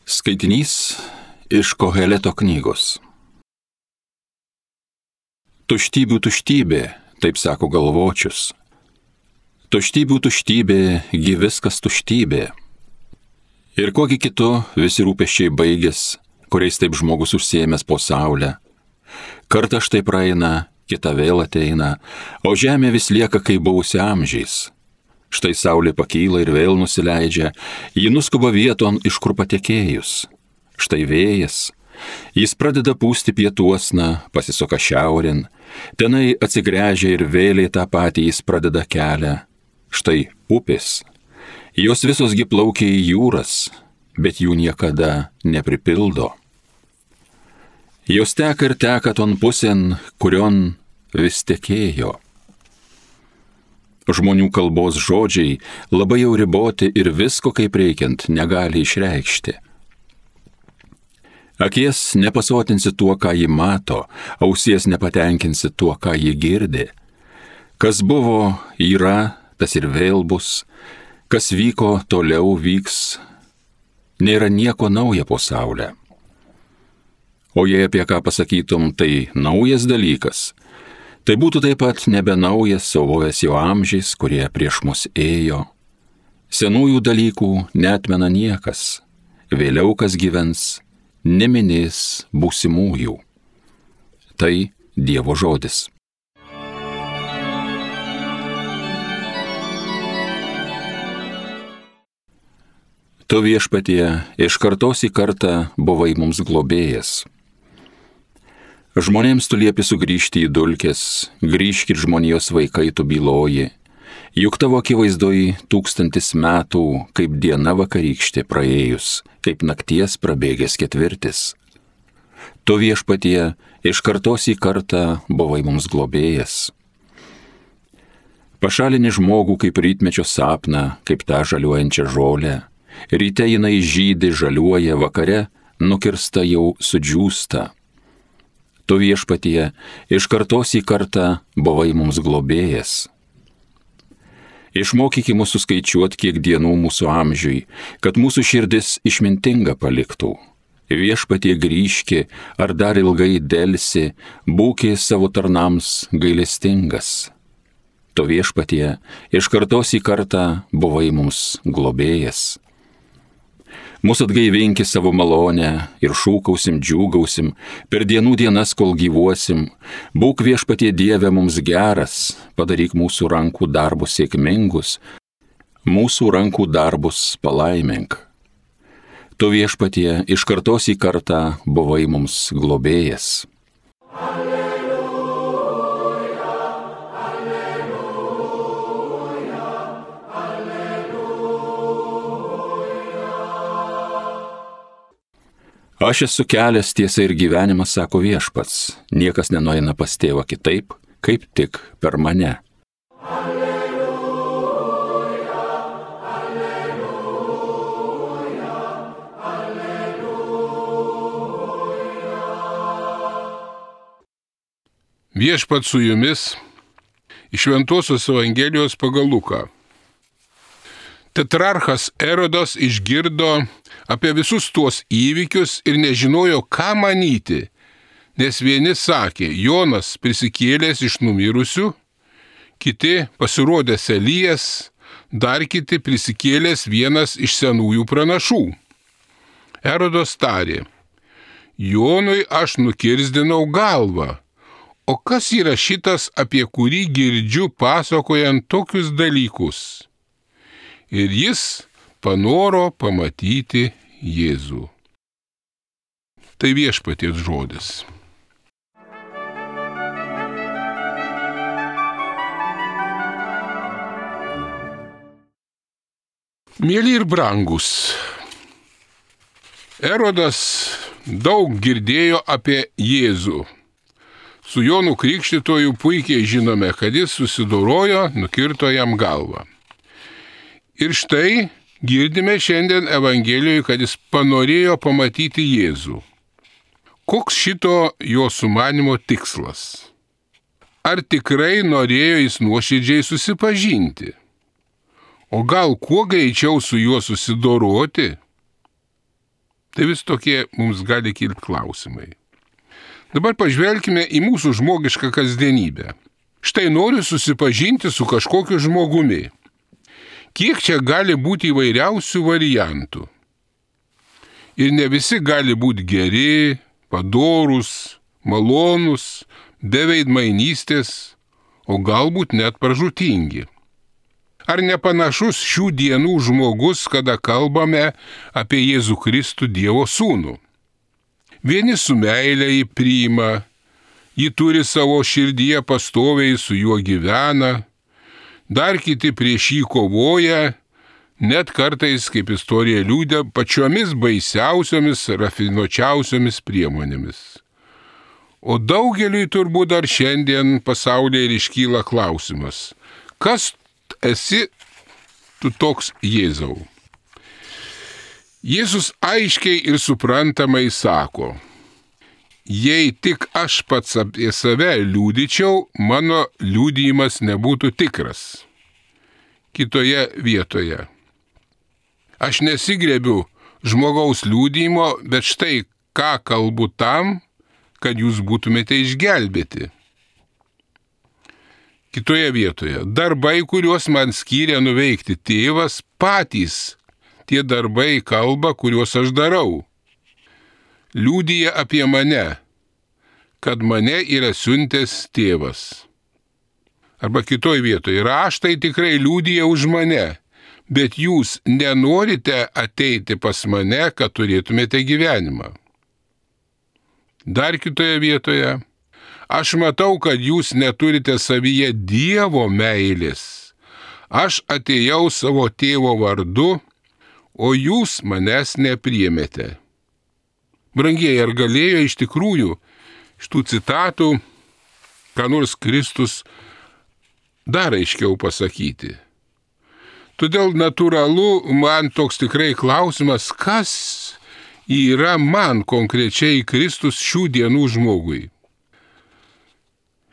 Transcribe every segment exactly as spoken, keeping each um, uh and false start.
Skaitinys iš Koheleto knygos. Tuštybių tuštybė, taip sako galvočius. Tuštybių tuštybė, gi viskas tuštybė. Ir kogi kitu visi rūpesčiai baigės, kuriais taip žmogus užsiėmęs po saulę. Kartą štai praeina, kita vėl ateina, o žemė vis lieka kaip buvusi amžiais. Štai saulė pakyla ir vėl nusileidžia, ji nuskuba vieton, iš kur patekėjus. Štai vėjas, jis pradeda pūsti pietuosna, pasisuka šiaurin, tenai atsigręžia ir vėliai tą patį jis pradeda kelią. Štai upės, jos visosgi plaukia į jūras, bet jų niekada nepripildo. Jos teka ir teka ton pusėn, kurion vis tekėjo. Žmonių kalbos žodžiai labai jau riboti ir visko kaip reikiant negali išreikšti. Akies nepasotinsi tuo, ką ji mato, ausies nepatenkinsi tuo, ką ji girdi. Kas buvo, yra, tas ir vėl bus, kas vyko, toliau vyks. Nėra nieko nauja po saulę. O jei apie ką pasakytum, tai naujas dalykas. Tai būtų taip pat nebenaujas, sauvojęs jau amžiais, kurie prieš mus ėjo. Senųjų dalykų neatmena niekas, vėliau kas gyvens, neminės būsimųjų. Tai Dievo žodis. Tu viešpatie iš kartos į kartą buvai mums globėjas. Žmonėms tu liepi sugrįžti į dulkes, grįžkit žmonijos vaikai tu byloji, juk tavo akivaizdoj tūkstantis metų, kaip diena vakarykštė praėjus, kaip nakties prabėgęs ketvirtis. Tu viešpatie iš kartos į kartą buvai mums globėjas. Pašalini žmogų kaip rytmečio sapną, kaip tą žaliuojančią žolę, ryte jinai žydi, žaliuoja, vakare nukirsta jau sudžiūsta. Tu viešpatie iš kartos į kartą buvai mums globėjas. Išmokyki mūsų skaičiuot, kiek dienų mūsų amžiui, kad mūsų širdis išmintinga paliktų. Viešpatie grįžki, ar dar ilgai delsi, būki savo tarnams gailestingas. Tu viešpatie iš kartos į kartą buvai mums globėjas. Mūsų atgaivinki savo malonę ir šūkausim, džiūgausim, per dienų dienas, kol gyvuosim. Būk viešpatie Dieve mums geras, padaryk mūsų rankų darbus sėkmingus, mūsų rankų darbus palaimink. Tu viešpatie iš kartos į kartą buvai mums globėjas. Aš esu kelias, tiesa ir gyvenimas, sako viešpats, niekas nenueina pas tėvą kitaip, kaip tik per mane. Alleluja, alleluja, alleluja. Viešpats su jumis iš Šventosios Evangelijos pagal Luką. Tetrarchas Erodas išgirdo apie visus tuos įvykius ir nežinojo, ką manyti, nes vieni sakė, Jonas prisikėlęs iš numirusių, kiti pasirodęs Elijas, dar kiti prisikėlęs vienas iš senųjų pranašų. Erodas tarė, Jonui aš nukirzdinau galvą, o kas yra šitas, apie kurį girdžiu pasakojant tokius dalykus? Ir jis panoro pamatyti Jėzų. Tai viešpaties žodis. Mieli ir brangus, Erodas daug girdėjo apie Jėzų. Su Jonu Krikštytoju puikiai žinome, kad jis susidorojo, nukirto jam galvą. Ir štai girdime šiandien Evangelijoje, kad jis panorėjo pamatyti Jėzų. Koks šito jo sumanimo tikslas? Ar tikrai norėjo jis nuoširdžiai susipažinti? O gal kuo greičiau su juo susidoroti? Tai vis tokie mums gali kilti klausimai. Dabar pažvelkime į mūsų žmogišką kasdienybę. Štai noriu susipažinti su kažkokiu žmogumi. Kiek čia gali būti įvairiausių variantų. Ir ne visi gali būti geri, padorūs, malonūs, be veidmainystės, o galbūt net pražūtingi. Ar nepanašus šių dienų žmogus, kada kalbame apie Jėzų Kristų Dievo Sūnų? Vieni su meile jį priima, jį turi savo širdyje pastoviai, su juo gyvena, dar kiti prieš jį kovoja, net kartais, kaip istorija liūdė, pačiomis baisiausiomis, rafinuočiausiomis priemonėmis. O daugeliui turbūt dar šiandien pasaulyje ir iškyla klausimas, kas esi tu toks Jėzau? Jėzus aiškiai ir suprantamai sako, jei tik aš pats apie save liūdyčiau, mano liūdėjimas nebūtų tikras. Kitoje vietoje. Aš nesigrebiu žmogaus liūdėjimo, bet štai ką kalbu tam, kad jūs būtumėte išgelbėti. Kitoje vietoje. Darbai, kuriuos man skyrė nuveikti tėvas, patys tie darbai kalba, kuriuos aš darau. Liūdija apie mane, kad mane yra siuntęs tėvas. Arba kitoje vietoje. Raštai tikrai liūdija už mane. Bet jūs nenorite ateiti pas mane, kad turėtumėte gyvenimą. Dar kitoje vietoje. Aš matau, kad jūs neturite savyje Dievo meilės. Aš atėjau savo tėvo vardu, o jūs manęs nepriėmėte. Brangieji, ar galėjo iš tikrųjų iš tų citatų ką nors Kristus dar aiškiau pasakyti? Todėl natūralu man toks tikrai klausimas, kas yra man konkrečiai Kristus šių dienų žmogui.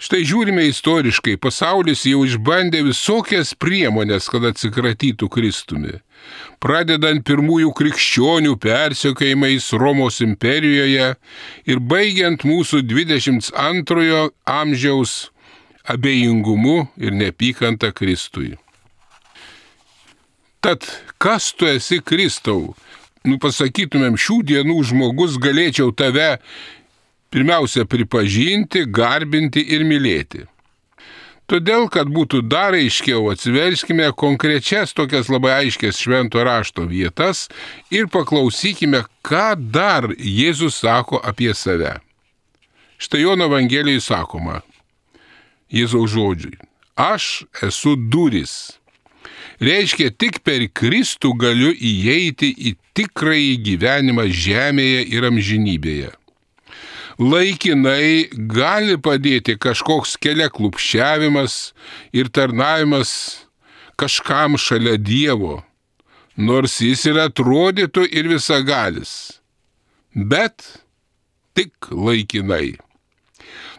Štai žiūrime istoriškai, pasaulis jau išbandė visokias priemonės, kad atsikratytų Kristumi. Pradedant pirmųjų krikščionių persekiojimais Romos imperijoje ir baigiant mūsų dvidešimt antrojo amžiaus abejingumu ir neapykanta Kristui. Tad kas tu esi Kristau? Nu, pasakytumėm, šių dienų žmogus galėčiau tave pirmiausia pripažinti, garbinti ir mylėti. Todėl, kad būtų dar aiškiau, atsiverskime konkrečias tokias labai aiškias švento rašto vietas ir paklausykime, ką dar Jėzus sako apie save. Štai Jono Evangelijoje sakoma, Jėzaus žodžiai, aš esu durys. Reiškia, tik per Kristų galiu įeiti į tikrąjį gyvenimą žemėje ir amžinybėje. Laikinai gali padėti kažkoks keliaklupščiavimas ir tarnavimas kažkam šalia Dievo, nors jis ir atrodytų ir visagalis, bet tik laikinai.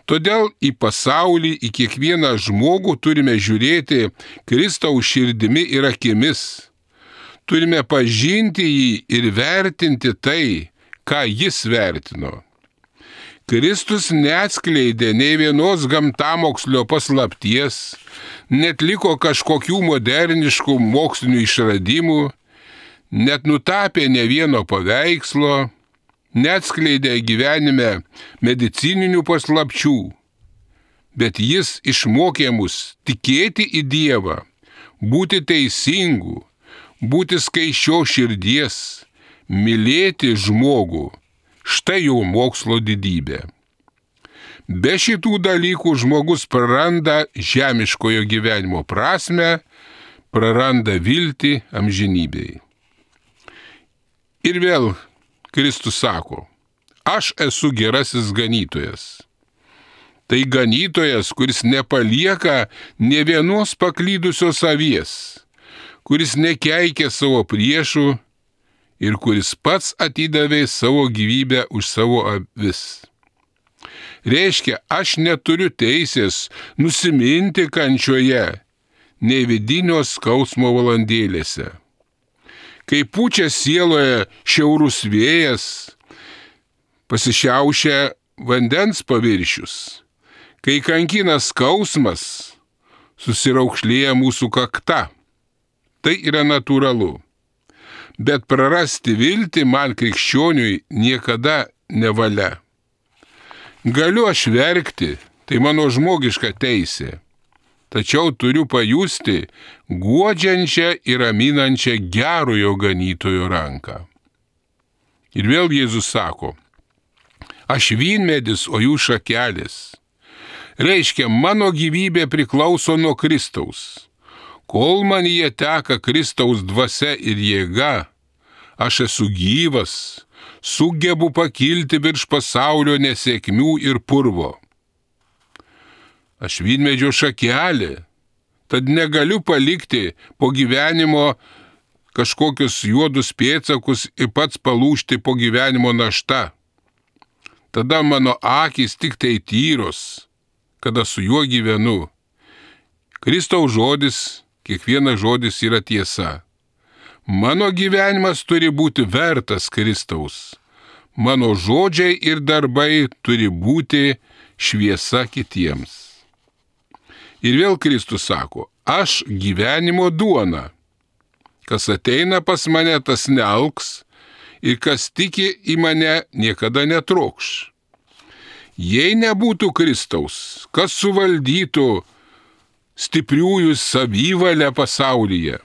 Todėl į pasaulį, į kiekvieną žmogų turime žiūrėti Kristaus širdimi ir akimis. Turime pažinti jį ir vertinti tai, ką jis vertino. Kristus neatskleidė nei vienos gamtamokslio paslapties, netliko kažkokių moderniškų mokslinių išradimų, net nutapė ne vieno paveikslo, neatskleidė gyvenime medicininių paslapčių, bet jis išmokė mus tikėti į Dievą, būti teisingų, būti skaisčios širdies, mylėti žmogų, štai jau mokslo didybė. Be šitų dalykų žmogus praranda žemiškojo gyvenimo prasmę, praranda viltį amžinybei. Ir vėl Kristus sako, aš esu gerasis ganytojas. Tai ganytojas, kuris nepalieka nė vienos paklydusios avies, kuris nekeikia savo priešų ir kuris pats atidavė savo gyvybę už savo avis. Reiškia, aš neturiu teisės nusiminti kančioje, nei vidinio skausmo valandėlėse. kai pučia sieloje šiaurus vėjas, pasišiaušia vandens paviršius, kai kankina skausmas, susiraukšlėja mūsų kakta. Tai yra natūralu. Bet prarasti viltį man krikščioniui niekada nevalia. Galiu aš verkti, tai mano žmogiška teisė. Tačiau turiu pajusti guodžiančią ir raminančią gerojo ganytojo ranką. Ir vėl Jėzus sako, aš vynmedis, o jūs šakelės. Reiškia, mano gyvybė priklauso nuo Kristaus. Kol manyje teka Kristaus dvasia ir jėga, aš esu gyvas, sugebu pakilti virš pasaulio nesėkmių ir purvo. Aš vynmedžio šakelė, tad negaliu palikti po gyvenimo kažkokius juodus pėdsakus ir pats palūžti po gyvenimo našta. Tada mano akys tik tai tyros, kada su juo gyvenu. Kristaus žodis, kiekvienas žodis yra tiesa. Mano gyvenimas turi būti vertas Kristaus. Mano žodžiai ir darbai turi būti šviesa kitiems. Ir vėl Kristus sako, aš gyvenimo duona. Kas ateina pas mane, tas nealks, ir kas tiki į mane, niekada netrokš. Jei nebūtų Kristaus, kas suvaldytų stipriųjų savivalę pasaulyje,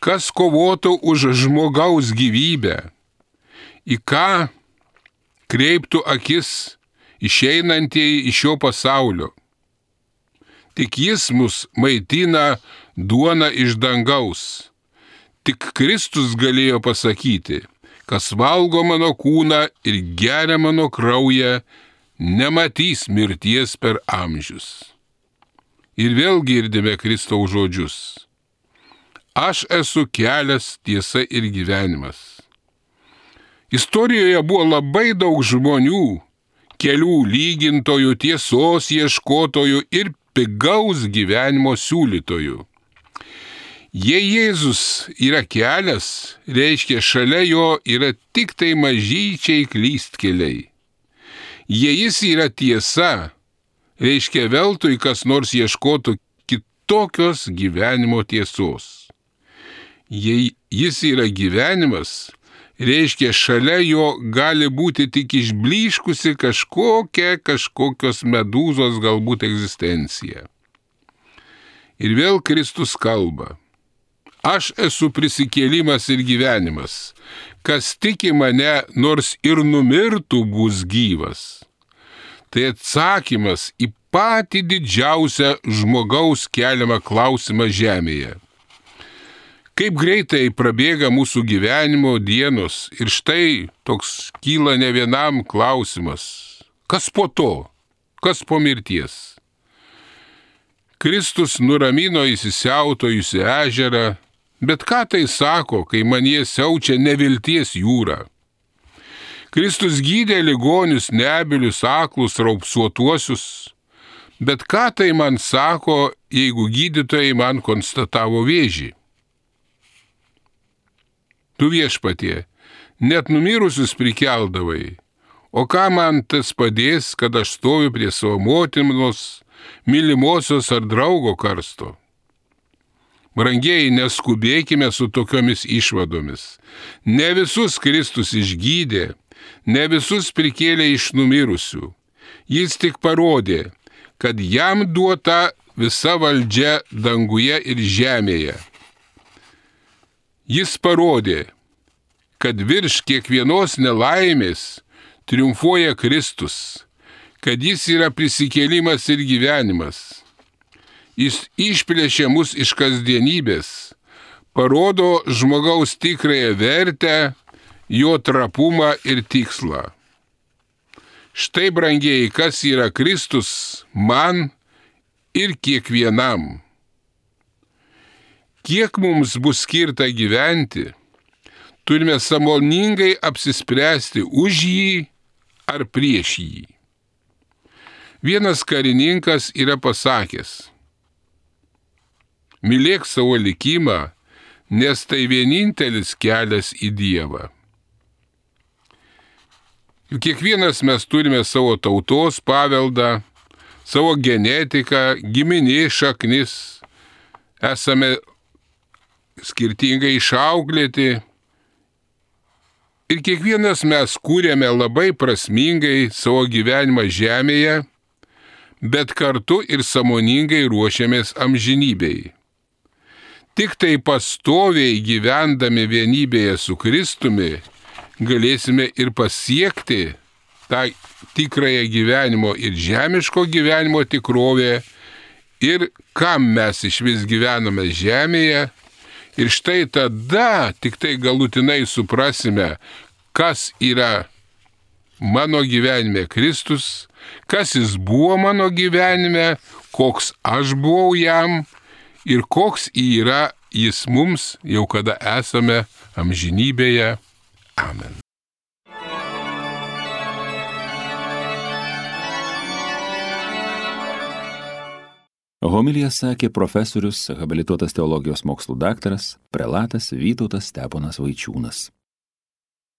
kas kovotų už žmogaus gyvybę, į ką kreiptų akis išeinantieji iš šio pasaulio. Tik jis mus maitina duona iš dangaus. Tik Kristus galėjo pasakyti, kas valgo mano kūną ir geria mano kraują, nematys mirties per amžius. Ir vėl girdime Kristaus žodžius. Aš esu kelias, tiesa ir gyvenimas. Istorijoje buvo labai daug žmonių, kelių lygintojų, tiesos ieškotojų ir pigaus gyvenimo siūlytojų. Jei Jėzus yra kelias, reiškia šalia jo yra tik tai mažyčiai klystkeliai. Jei jis yra tiesa, reiškia veltui kas nors ieškotų kitokios gyvenimo tiesos. Jei jis yra gyvenimas, reiškia šalia jo gali būti tik išblyškusi kažkokia, kažkokios medūzos galbūt egzistencija. Ir vėl Kristus kalba. Aš esu prisikėlimas ir gyvenimas. Kas tiki mane, nors ir numirtų, bus gyvas. Tai atsakymas į patį didžiausią žmogaus keliamą klausimą žemėje. Kaip greitai prabėga mūsų gyvenimo dienos ir štai toks kyla ne vienam klausimas. Kas po to? Kas po mirties? Kristus nuramino įsisiautojusi ežerą, bet ką tai sako, kai manyje siaučia nevilties jūra? Kristus gydė ligonius, nebylius, aklus, raupsuotuosius, bet ką tai man sako, jeigu gydytojai man konstatavo vėžį? Tu viešpatie, net numirusius prikeldavai, o ką man tas padės, kad aš stoviu prie savo motinos, mylimosios ar draugo karsto? Brangieji, neskubėkime su tokiomis išvadomis. Ne visus Kristus išgydė, ne visus prikėlė iš numirusių. Jis tik parodė, kad jam duota visa valdžia danguje ir žemėje. Jis parodė, kad virš kiekvienos nelaimės triumfuoja Kristus, kad jis yra prisikėlimas ir gyvenimas. Jis išplėšė mus iš kasdienybės, parodo žmogaus tikrąją vertę, jo trapumą ir tikslą. Štai, brangieji, kas yra Kristus man ir kiekvienam. Kiek mums bus skirta gyventi, turime sąmoningai apsispręsti už jį ar prieš jį. Vienas karininkas yra pasakęs: mylėk savo likimą, nes tai vienintelis kelias į Dievą. Juk kiekvienas mes turime savo tautos paveldą, savo genetiką, giminės šaknis, esame skirtingai išauklėti ir kiekvienas mes kūrėme labai prasmingai savo gyvenimą žemėje, bet kartu ir sąmoningai ruošiamės amžinybei. Tik tai pastoviai gyvendami vienybėje su Kristumi galėsime ir pasiekti tą tikrąją gyvenimo ir žemiško gyvenimo tikrovę ir kam mes iš vis gyvename žemėje. Ir štai tada tik tai galutinai suprasime, kas yra mano gyvenime Kristus, kas jis buvo mano gyvenime, koks aš buvau jam ir koks yra jis mums, jau kada esame amžinybėje. Amen. Homiliją sakė profesorius, habilituotas teologijos mokslų daktaras, prelatas Vytautas Steponas Vaičiūnas.